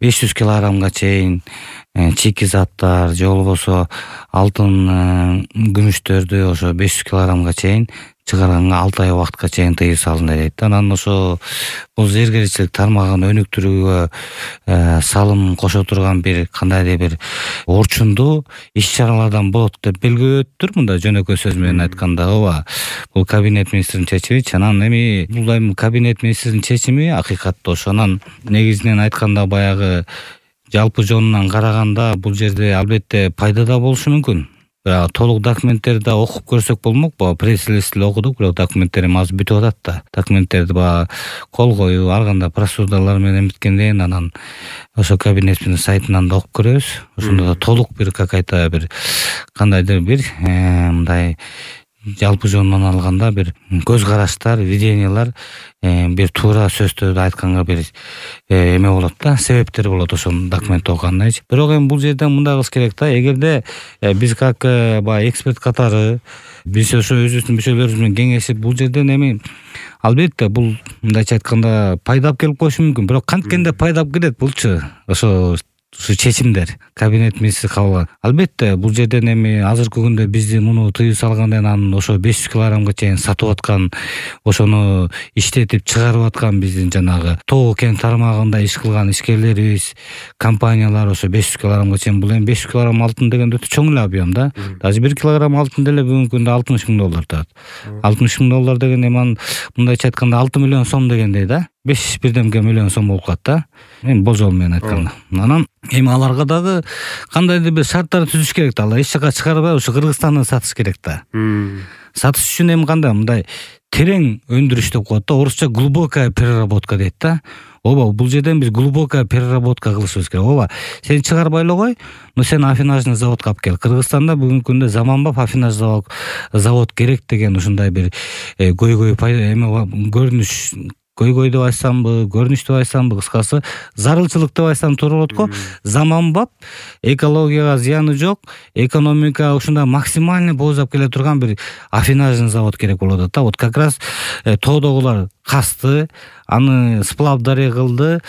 500 килограммга чейин чийки заттар же болбосо алтын, күмүштөрдү ошо 500 килограммга чейин чыгарганга 6 ай убакытка чейин тыюу салынат дейт. Анан ошо бул зергерчилик тармагын өнүктүрүүгө салым кошо турган бир кандайдыр бир орчундуу иш-чаралардан болот деп белгилөптүр. Мында жөнөкөй сөз менен айтканда, ооба, бул кабинет министринин чечими. Анан эми бул эми кабинет министринин чечими акыйкатта ошо. Анан негизинен айтканда баягы жалпы жонунан караганда бул жерде албетте пайда да болушу мүмкүн. Толук документтерди окуп көрсөк болмок. Пресс-релизди окудук, бирок документтер эми азыр бүтүп атат да. Документтерди кол коюу, ар кандай процедуралар менен биткенден кийин анан ошо кабинеттин сайтынан да окуп көрөбүз. Ошондо да толук бир какая-то бир кандайдыр бир мындай жалпы жонунан алганда бир көз караштар, видениялар, бир туура сөздөрдү айтканга бир эме болот да, себептер болот ошол документти окугандан кийин. Бирок эми бул жерде мындай кылыш керек да, эгерде биз как эксперт катары биз ошо өзүбүздүн мүчөлөрүбүз менен кеңешип бул жерден эми албетте бул мындайча айтканда пайдап келип коюшу мүмкүн. Бирок канткенде пайдап келет булчу ошо чечимдер кабинет министри кабыл алат. Албетте бул жерден эми азыркы күндө бизди муну тыюу салгандан анан ошо 500 килограммга чейин сатып аткан, ошону иштетип чыгарып аткан биздин жанагы Тоо кен тармагында иш кылган ишкерлерибиз, компаниялар ошо 500 килограммга чейин, бул эми 500 килограмм алтын деген өтө чоң эле объем да. Даже 1 килограмм алтын деле бүгүнкү күндө $60,000 турат. $60,000 деген эми мындайча айтканда 6 миллион сом дегендей да. 5 бирдемке миллион сом болуп калат да. Эми болжол менен айтканда. Анан эми аларга дагы кандайдыр бир шарттар түзүш керек да. Алар эч жака чыгарбай ушу Кыргызстанда сатыш керек да. Сатыш үчүн эми кандай мындай терең өндүрүш деп коет да. Орусча глубокая переработка дейт да. Ооба, бул жерден биз глубокая переработка кылышыбыз керек. Ооба, сен чыгарбай эле кой, но сен афинажный заводко алып кел. Кыргызстанда бүгүнкү күндө заманбап афинаж завод керек деген ушундай бир көйгөй эме көрүнүш, көйгөй деп айтсамбы, көрүнүш деп айсамбы, кыскасы зарылчылык деп айсам туура болот го. Заманбап, экологияга зыяны жок, экономика ушундай максимальный боозап келе турган бир афинажный завод керек болуп атат да. Вот как раз тоодогулар касты, аны сплав дарый кылды,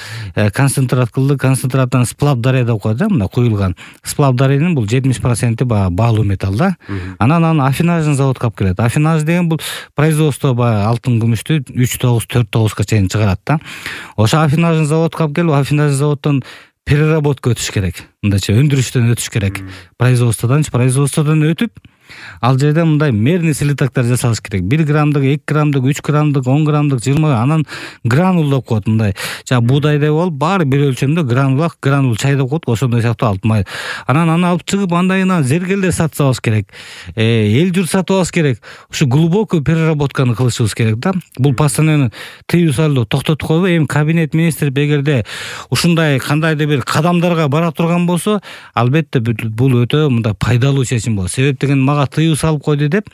концентрат кылды, концентраттан сплав дарый деп коет да, мына куюлган. Сплав дарыйнын бул 70% баалуу металл да. Анан аны афинажный заводко алып келет. Афинаж деген бул производство алтын күмүштү 3,9-4,9 чейин чыгарат да. Ошо афинажный заводко алып келип, афинажный заводдон переработка өтүш керек. Мындайча өндүрүштөн өтүш керек. Производстводон өтүп, ал жерде мындай мерный слитоктор жасалыш керек. 1 граммдык, 2 граммдык, 3 граммдык, 10 граммдык, 20, анан гранул деп коет мындай. Жана буудайдай болуп, баары бир өлчөмдө гранул чай деп коет, ошондой сыяктуу алтын. Анан аны алып чыгып, андайына зергерлер сатып алыш керек. Эл журт сатып алыш керек. Ушу глубокую переработканы кылышыбыз керек да. Бул постоянно тыюу салуу токтотуп койбой, эми кабинет министри эгерде ушундай кандайдыр бир кадамдарга бара турган болсо, албетте бул өтө мындай пайдалуу чечим болот. Себеп деген тыюу салып койду деп,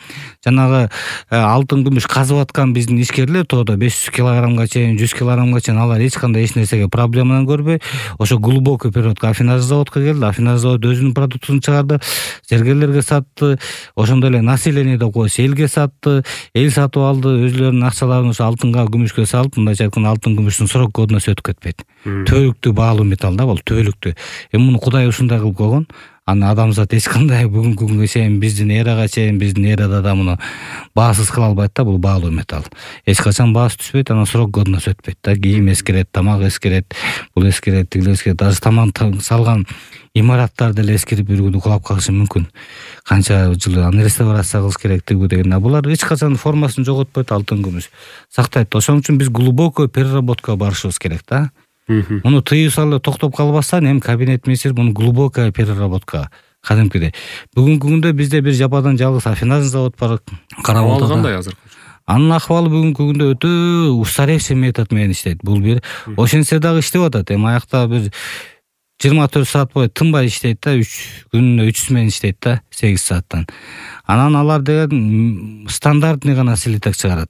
жанагы алтын күмүш казып аткан биздин ишкерлер тоодо 500 килограммга чейин, 100 килограммга чейин алар эч кандай эч нерсеге проблеманы көрбөй, ошо глубокий переработка афинажный заводко келди, афинажный завод өзүнүн продуктусун чыгарды, зергерлерге сатты, ошондой эле население деп коебуз, элге сатты, эл сатып алды, өзүлөрүнүн акчаларын ошо алтынга, күмүшкө салып, мындайча айтканда алтын күмүштүн срок годносы өтүп кетпейт. Түбөлүктүү баалуу металл да бул, түбөлүктүү. Эми муну Кудай ушундай кылып койгон. Аны адамзат эч кандай бүгүнкү күнгө чейин, биздин эрага чейин, биздин эрада да муну баасыз кыла албайт да, бул баалуу металл. Эч качан баасы түшпөйт, анан срок годносы өтпөйт да. Кийим эскерет, тамак эскерет, бул эскерет, тигил эскерет. Даже тамак салган имараттар деле эскирип бир күнү кулап калышы мүмкүн. Канча жыл аны реставрация кылыш керек деген. Булар эч качан формасын жоготпойт, алтын күмүш сактайт. Ошон үчүн биз глубокий переработкага барышыбыз керек да. Муну тыюу салуу токтоп калбастан эми кабинет министри муну глубокая переработка кадимкидей. Бүгүнкү күндө бизде бир жападан жалгыз афинажный завод бар. Карап отурган. Кандай азыр? Анын акыбалы бүгүнкү күндө өтө устаревший метод менен иштейт. Бул бир ошентсе дагы иштеп атат. Эми аякта бир 24 саат бою тынбай иштейт да, күнүнө 3 смен иштейт да, 8 сааттан. Анан алар деген стандартный гана слиток чыгарат.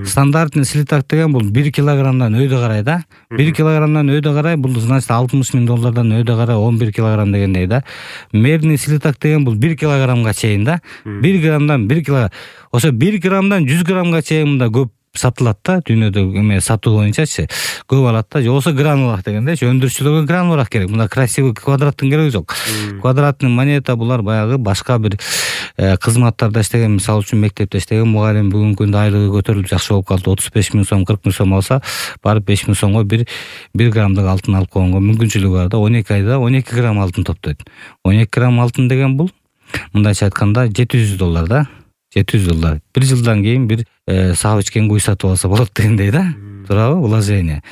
Стандартный слиток деген бул 1 килограммдан өйдө карай да. 1 килограммдан өйдө карай, бул значит $60,000 өйдө карай 11 килограмм дегендей да. Мерный слиток деген бул 1 килограммга чейин да. 1 граммдан 1 килограмм. Ошо 1 граммдан 100 граммга чейин мында көп сатылат да, дүйнөдө эме сатуу боюнчачы көп алат да, же болбосо гранулах дегендечи, өндүрүүчүлөргө гранулах керек. Мына красивый квадраттын кереги жок. Квадратный монета булар баягы башка бир кызматтарда иштеген, мисалы үчүн мектепте иштеген мугалим бүгүнкү күндө айлыгы көтөрүлүп жакшы болуп калды, 35 000 сом, 40 000 сом алса, барып 5 000 сомго 1 граммдык алтын алып койгонго мүмкүнчүлүгү бар да. 12 айда 12 грамм алтын топтойт. 12 грамм алтын деген бул мындайча айтканда $700 да. $700. Bir жылдан кийин бир саап ичкен куй сатып алса болот дегендей да. Туурабы? Вложение.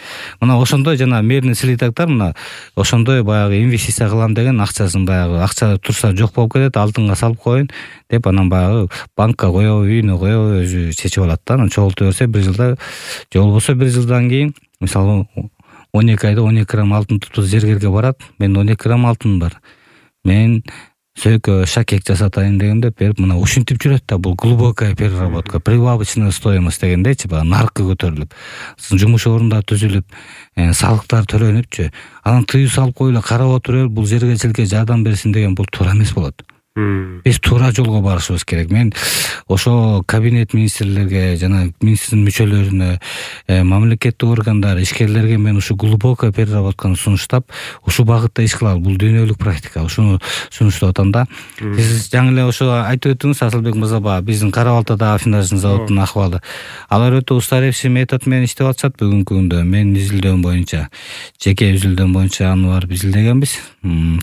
Мына ошондой жана мерный слитоктор, мына ошондой баягы инвестиция кылам деген акчасын баягы акча турса жок болуп кетет, алтынга салып коеюн деп анан баягы банкка коебу, үйүнө коебу, өзү чечип алат да. Анан чогулту берсе 1 жылда, же болбосо 1 жылдан кийин мисалы 12 айда 12 грамм алтын туtup зергерге барат. Мен 12 грамм алтын бар. Мен сөйкө шакек жасатайын дегенде берип, мына ушинтип жүрөт да. Бул глубокая переработка, прибавочная стоимость дегендейчи, баягы наркы көтөрүлүп, жумуш орундар түзүлүп, салыктар төлөнүпчү. Анан тыюу салып коюла, карап отуруп, бул зергечиликке жардам берсин деген бул туура эмес болот. Биз туура жолго барышыбыз керек. Мен ошо кабинет министрлерге жана министрдин мүчөлөрүнө, мамлекеттик органдар, ишкерлерге мен ушу глубокая переработканы сунуштап, ушу багытта иш кылалы. Бул дүйнөлүк практика. Ушуну сунуштап атам да. Сиз жаңы эле ошо айтып өттүңүз, Асылбек мырза, биздин Кара Балтадагы аффинаждын заводунун акыбалы. Алар өтө устаревший метод менен иштеп атышат бүгүнкү күндө. Мен изилдөм боюнча, жеке изилдөм боюнча аны барып изилдегенбиз.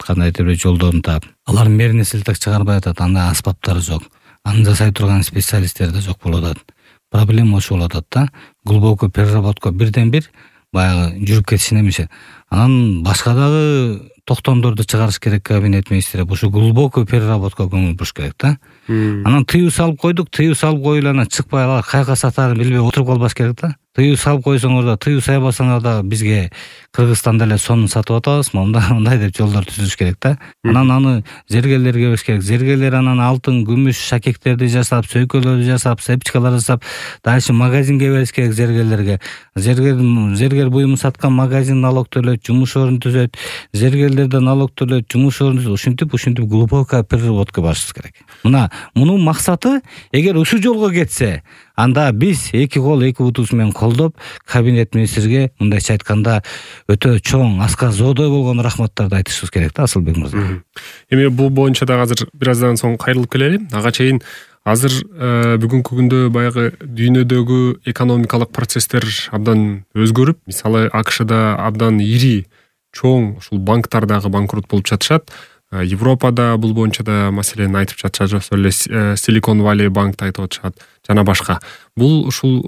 Кандайдыр бир жолдорун таап. Алар мерный слиток чыгарбай атат, анда аспаптары жок. Аны жасай турган специалисттер да жок болуп атат. Проблема ошо болуп атат да. Глубокий переработка бирден бир баягы жүрүп кетишин эмесе. Анан башка дагы токтомдорду чыгарыш керек кабинет министри. Ушу глубокий переработка көңүл буруш керек да. Анан тыюу салып койдук, тыюу салып коюлуп анан чыкпай алар кайга сатаарын билбей отуруп калбаш керек да. Тыюу салып койсоңор да, тыюу сайбасаңар да бизге Кыргызстанда эле сонун сатып атабыз, мындай деп жолдор түзүш керек да. Анан аны зергерлерге бериш керек. Зергерлер анан алтын, күмүш шакектерди жасап, сөйкөлөрдү жасап, сепчкалар жасап, дальше магазинге бериш керек зергерлерге. Зергер буюмун саткан магазин налог төлөйт, жумуш орун түзөт, зергерлерден налог төлөйт, жумуш орун түзөт. Ушинтип глубокая переработка барышыбыз керек. Мына мунун максаты, эгер ушул жолго кетсе, анда биз эки кол эки бутубуз менен колдоп, кабинет министрге мындайча айтканда өтө чоң, аска зоодой болгон рахматтарды айтышыбыз керек да, Асылбек мырза. Эми бул боюнча дагы азыр бир аздан соң кайрылып келели. Ага чейин азыр бүгүнкү күндө баягы дүйнөдөгү экономикалык процесстер абдан өзгөрүп, мисалы АКШда абдан ири, чоң ушул банктар дагы банкрот болуп жатышат. Европада бул боюнча да маселени айтып жатышат, ошол эле Silicon Valley банкты айтып атышат жана башка. Бул ушул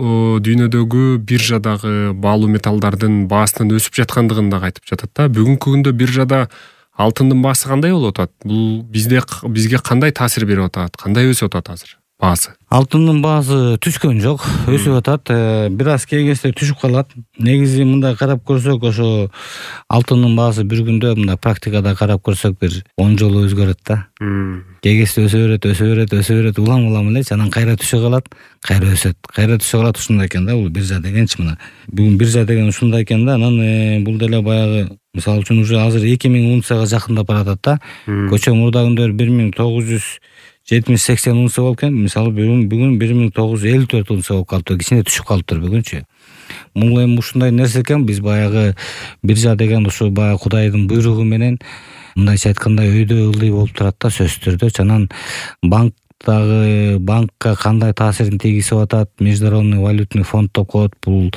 дүйнөдөгү биржадагы баалуу металлдардын баасынын өсүп жаткандыгын дагы айтып жатат да. Бүгүнкү күндө биржада алтындын баасы кандай болуп атат? Бул бизге кандай таасир берип атат? Кандай өсүп атат азыр баасы? Алтындын баасы түшкөн жок, өсүп атат. Бир аз кээ кезде түшүп калат. Негизи мындай карап көрсөк, ошо алтындын баасы бир күндө мындай практикада карап көрсөк бир 10 жолу өзгөрөт да. Кээ кезде өсө берет, улам эле, анан кайра түшө калат, кайра өсөт, кайра түшө калат. Ушундай экен да, бул биржа дегенчи мына. Бүгүн биржа деген ушундай экен да. Анан бул деле баягы мисалы үчүн уже азыр 2000 унцияга жакындап баратат да. Көчө мурда күндөр 1970-80 унция болуп экен. Мисалы бүгүн 1954 унция болуп калыптыр. Кичине түшүп калыптыр бүгүнчү. Бул эми ушундай нерсе экен. Биз баягы биржа деген ушу баягы Кудайдын буйругу менен мындайча айтканда өйдө ылдый болуп турат да, сөзсүз түрдө. Анан банкка кандай таасирин тийгизип атат, Международный валютный фонд деп коет. Бул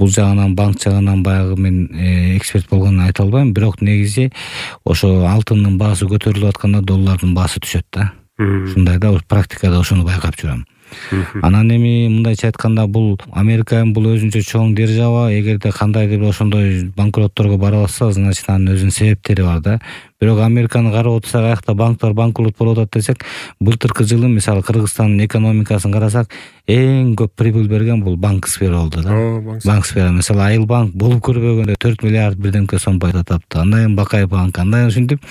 жагынан, банк жагынан баягы мен эксперт болгонун айта албайм, бирок негизи ошо алтындын баасы көтөрүлүп атканда доллардын баасы түшөт да. Ушундай да, практикада ошону байкап жүрөм. Анан эми мындайча айтканда бул Американын бул өзүнчө чоң держава, эгерде кандайдыр ошондой банкротторго бара алса, значит анын өзүнүн себептери бар да. Бирок Американы карап отурсак, аякта банктар банкрот болуп атат десек, былтыркы жылы мисалы Кыргызстандын экономикасын карасак, эң көп прибыль берген бул банк сфера болду да. Банк сфера, мисалы Айыл банк болуп көрбөгөндө 4 миллиард бирдемке сом пайда тапты. Андан Бакай банк, андан ушинтип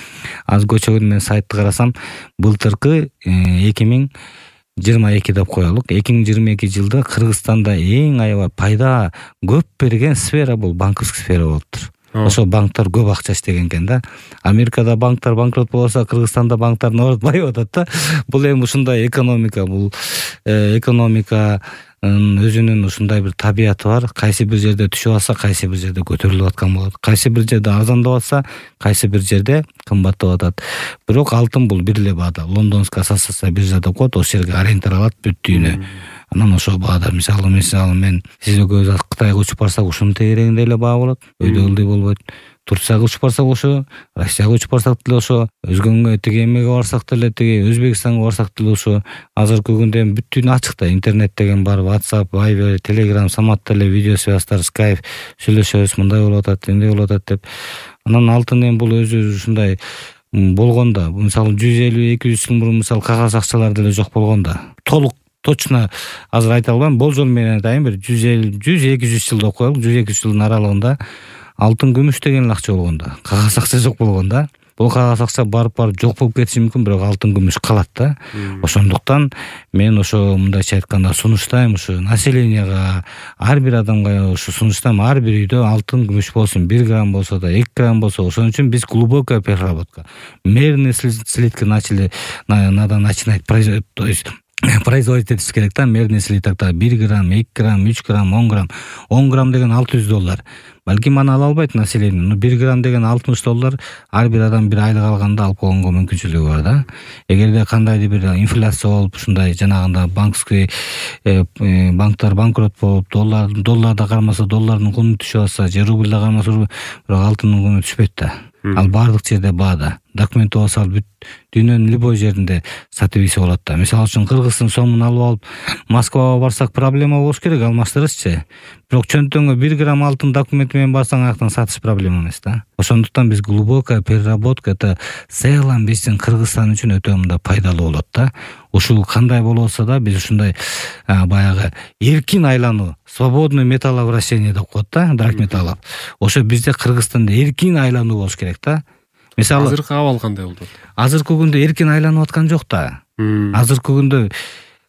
аз көчөгөн мен сайтты карасам, былтыркы 2022 деп коелук. 2022 жылда Кыргызстанда эң аябай пайда көп берген сфера бул банковский сфера болуптур. Ошо банктар көп акча иштеген экен да. Америкада банктар банкрот болса, Кыргызстанда банктар наоборот байып атат да. Бул эми ушундай экономика, бул экономика өзүнүн ушундай бир табияты бар. Кайсы бир жерде түшүп атса, кайсы бир жерде көтөрүлүп аткан болот. Кайсы бир жерде арзандап атса, кайсы бир жерде кымбаттап атат. Бирок алтын бул бир эле баада. Лондонская ассоциация биржа деп коет, ошол жерге ориентир алат бүт дүйнө. Анан ошол баада мисалы мен сиз экөөбүз Кытайга учуп барсак ушунун тегерегинде эле баа болот. Өйдө ылдый болбойт. Турцияга учуп барсак ошо, Россияга учуп барсак деле ошо, өзгөнгө тиги эмеге барсак деле тиги, Өзбекстанга барсак деле ошо. Азыркы күндө бүт дүйнө ачык да, интернет деген бар, WhatsApp, Viber, Telegram, самат деле видео связьтар, Skype, сүйлөшөбүз, мындай болуп атат, эмне болуп атат деп. Анан алтын эми бул өзү ушундай болгондо, мисалы 150-200 жыл мурун мисалы кагаз акчалар деле жок болгондо, толук точно азыр айта албайм, болжол менен айтайын, бир 100-200 жыл деп коелу, 100-200 жылдын аралыгында алтын күмүш деген эле акча болгондо, кагаз акча жок болгондо, бул кагаз акча барып жок болуп кетиши мүмкүн, бирок алтын күмүш калат да. Ошондуктан мен ошо мындайча айтканда сунуштайм, ушу населенияга, ар бир адамга ушу сунуштайм, ар бир үйдө алтын күмүш болсун, 1 грамм болсо да, 2 грамм болсо. Ошон үчүн биз глубокая переработка, мерные слитки надо начинать, то есть производить этиш керек да, мерный слитокто 1 грамм, 2 грамм, 3 грамм, 10 грамм. 10 грамм деген $600. Балким аны ала албайт население. 1 грамм деген $60. Ар бир адам бир айлык алганда алып койгонго мүмкүнчүлүгү бар да. Эгерде кандайдыр бир инфляция болуп, ушундай жанагында банктар банкрот болуп, долларда кармаса доллардын куну түшүп атса, же рубльда кармаса, бирок алтындын куну түшпөйт да. Ал баардык жерде баада. Документ болсо бүт дүйнөнүн любой жеринде сатып ийсе болот да. Мисалы үчүн Кыргыздын сомун алып алып Москвага барсак проблема болуш керек, алмаштырышчы. Бирок чөнтөңгө 1 грамм алтын документи менен барсаң, аяктан сатыш проблема эмес да. Ошондуктан биз глубокая переработка, это целом биздин Кыргызстан үчүн өтө мындай пайдалуу болот да. Ушул кандай болсо да биз ушундай баягы эркин айлануу, свободный металловращение деп коет да, драгметаллов. Ошо бизде Кыргызстанда эркин айлануу болуш керек да. Мисалы азыркы абал кандай болду? Азыркы күндө эркин айланып аткан жок да. Азыркы күндө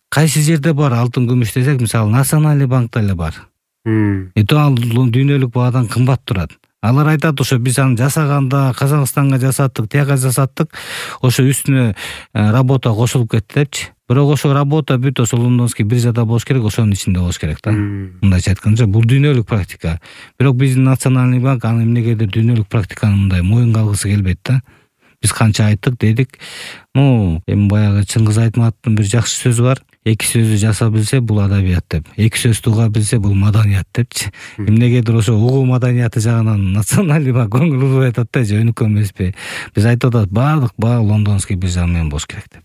кайсы жерде бар алтын күмүш десек, мисалы Национальный банкта эле бар. Ал дүйнөлүк баадан кымбат турат. Алар айтат, ошо биз аны жасаганда Казакстанга жасаттык, тияга жасаттык, ошо үстүнө работа кошулуп кетти депчи. Бирок ошо работа бүт ошо лондонский биржада болуш керек, ошонун ичинде болуш керек да. Мындайча айтканда, бул дүйнөлүк практика. Бирок биздин Национальный банк аны эмнегедир дүйнөлүк практиканы мындай моюнга алгысы келбейт да. Биз канча айттык, дедик. Эми баягы Чыңгыз Айтматовдун бир жакшы сөзү бар. 2 сөздү жаса билсе бул адабият деп. 2 сөздү уга билсе бул маданият депчи. Эмнегедир ошо угуу маданияты жагынан Национальный банк көңүл буруп атат да, же өнүккөн эмеспи. Биз айтып атат, баардык баа лондонский биржа менен болуш керек деп.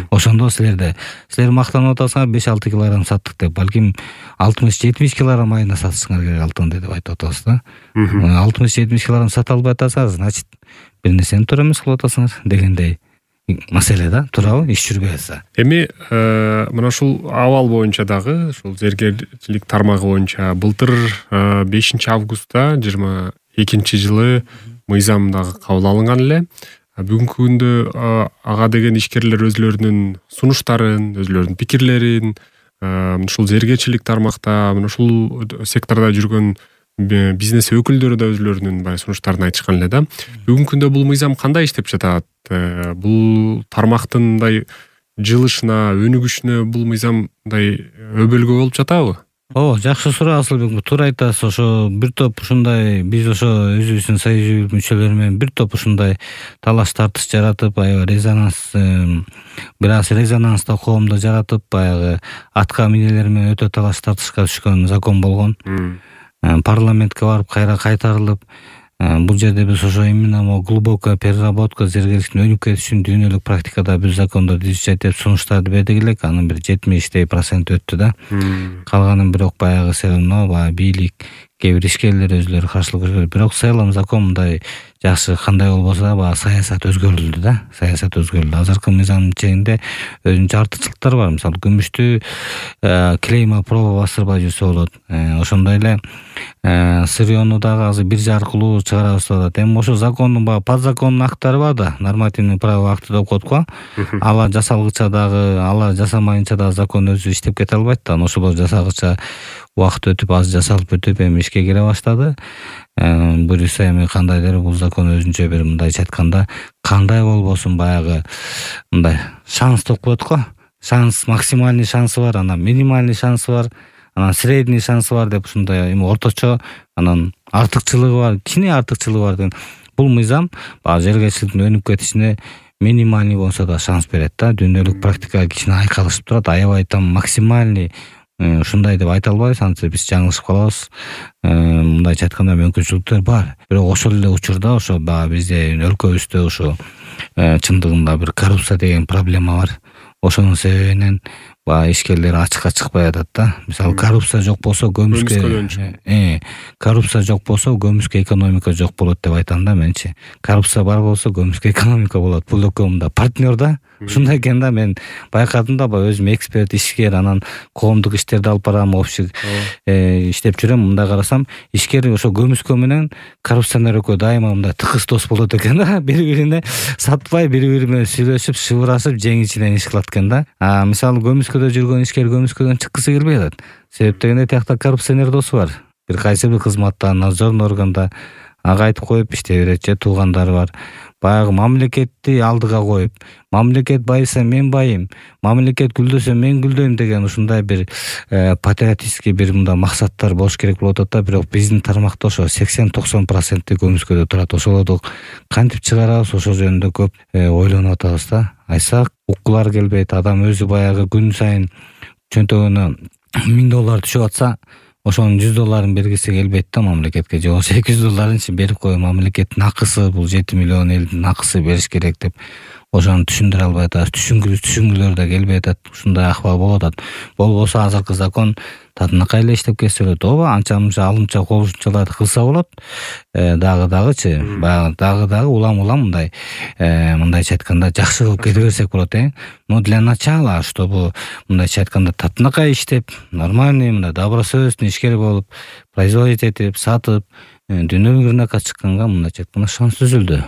Ошондо силер мактанып атасыңар, 5-6 килограмм саттык деп, балким 60-70 килограмм айына сатышыңар керек алтынды деп айтып атабыз да. 60-70 килограмм сата албай атасыңар, значит бир нерсени туура эмес кылып атасыңар дегендей маселе да, туурабы? Иш жүрбөй атса. Эми мына ушул абал боюнча дагы, ушул зергерчилик тармагы боюнча былтыр 5 августта 22-жылы мыйзам дагы кабыл алынган эле. Бүгүнкү күндө ага деген ишкерлер өзлөрүнүн сунуштарын, өзлөрүнүн пикирлерин ушул зергерчилик тармакта, мына ушул сектордо жүргөн бизнес өкүлдөрү да өзлөрүнүн баягы сунуштарын айтышкан эле да. Бүгүнкү күндө бул мыйзам кандай иштеп жатат? Бул тармактын мындай жылышына, өнүгүшүнө бул мыйзам мындай өбөлгө болуп жатабы? Жакшы суроо Асылбек, туура айтасыз. Ошо бир топ ушундай биз ошо өзүбүздүн союз мүчөлөрү менен бир топ ушундай талаш тартыш жаратып, резонанс резонанста коомдо жаратып, баягы атка минелер менен өтө талаш тартышка түшкөн закон болгон. Парламентке барып кайра кайтарылып, бул жерде биз ошо именно глубокая переработка, зергерликтин өнүгүп кетишин дүйнөлүк практикада бир закондо түзүшөт деп сунуштарды бердик элек. Анын бир 70% өттү да. Калганын бирок баягы бийлик, кээ бир ишкерлер өзлөрү каршылык көргөн. Бирок целом закон мындай жакшы кандай болбосо да, баягы саясат өзгөрүлдү да. Саясат өзгөрүлдү. Азыркы мыйзамдын ичинде өзүнчө артыкчылыктар бар. Мисалы күмүштү клейма проба бастырбай жүрсө болот. Ошондой эле сырьёну дагы азыр биржа аркылуу чыгарабыз деп атат. Эми ошо закондун баягы подзаконный акттары бар да, нормативный правовой акты деп коет го. Алар жасалгыча дагы, алар жасамайынча дагы закон өзү иштеп кете албайт да. Ошолор жасагыча убакыт өтүп, аз жасалып өтүп, эми ишке кире баштады. Буюрса эми кандайдыр бул закон өзүнчө бир мындайча айтканда кандай болбосун баягы мындай шанс деп коет го. Шанс, максимальный шансы бар, анан минимальный шансы бар. анан средний шансы бар деп ушундай эми орточо, анан артыкчылыгы бар, кичине артыкчылыгы бар деген. Бул мыйзам баягы жергечиликтин өнүп кетишине минимальный болсо да шанс берет да. Дүйнөлүк практикага кичине айкалышып турат. Аябай там максимальный ушундай деп айта албайбыз, антип биз жаңылышып калабыз. Мындайча айтканда мүмкүнчүлүктөр бар. Бирок ошол эле учурда ошо баягы бизде өлкөбүздө ошо чындыгында бир коррупция деген проблема бар. Ошонун себебинен баягы ишкерлер ачыкка чыкпай атат да. Мисалы коррупция жок болсо коррупция жок болсо көмүскө экономика жок болот деп айтам да менчи. Коррупция бар болсо көмүскө экономика болот. Бул экөө мында партнер да. Ушундай экен да, мен байкадым да, өзүм эксперт, ишкер, анан коомдук иштерди алып барам, общий иштеп жүрөм. Мында карасам, ишкер ошо көмүскө менен коррупционер экөө дайыма мындай тыкыз дос болот экен да. Бири-бирине сатпай, бири-бири менен сүйлөшүп, шыбырашып, жеңичинен иш кылат экен да. Мисалы көмүскөдө жүргөн ишкер көмүскөдөн чыккысы келбей атат. Себеп дегенде тиякта коррупционер досу бар. Бир кайсы бир кызматта, надзорный органда ага айтып коюп иштей берет, же туугандары бар. Баягы мамлекетти алдыга коюп, мамлекет байыса мен байым, мамлекет гүлдөсө мен гүлдөйм деген ушундай бир патриотический бир мындай максаттар болуш керек болуп атат да. Бирок биздин тармакта ошо 80-90% көмүскөдө турат. Ошолорду кантип чыгарабыз, ошол жөнүндө көп ойлонуп атабыз да. Айтсак, уккулар келбейт. Адам өзү баягы күн сайын чөнтөгүнө $1000 түшүп атса, ошонун $100 бергиси келбейт да мамлекетке. Же болбосо $200 берип коюп, мамлекеттин акысы, бул 7 миллион элдин акысы бериш керек деп ошону түшүндүрө албай атабыз. Түшүнгүлөр да келбей атат. Ушундай акыбал болуп атат. Болбосо азыркы закон татынакай эле иштеп кетсе болот. Ооба, анча-мынча алымча кошумчаларды кылса болот. Дагычы, баягы дагы улам мындай мындайча айтканда жакшы кылып кете берсек болот, Но для начала, чтобы мындайча айтканда татынакай иштеп, нормальный мындай добросовестный ишкер болуп, производить этип, сатып, дүйнөлүк рынокко чыкканга мындайча айтканда шанс түзүлдү.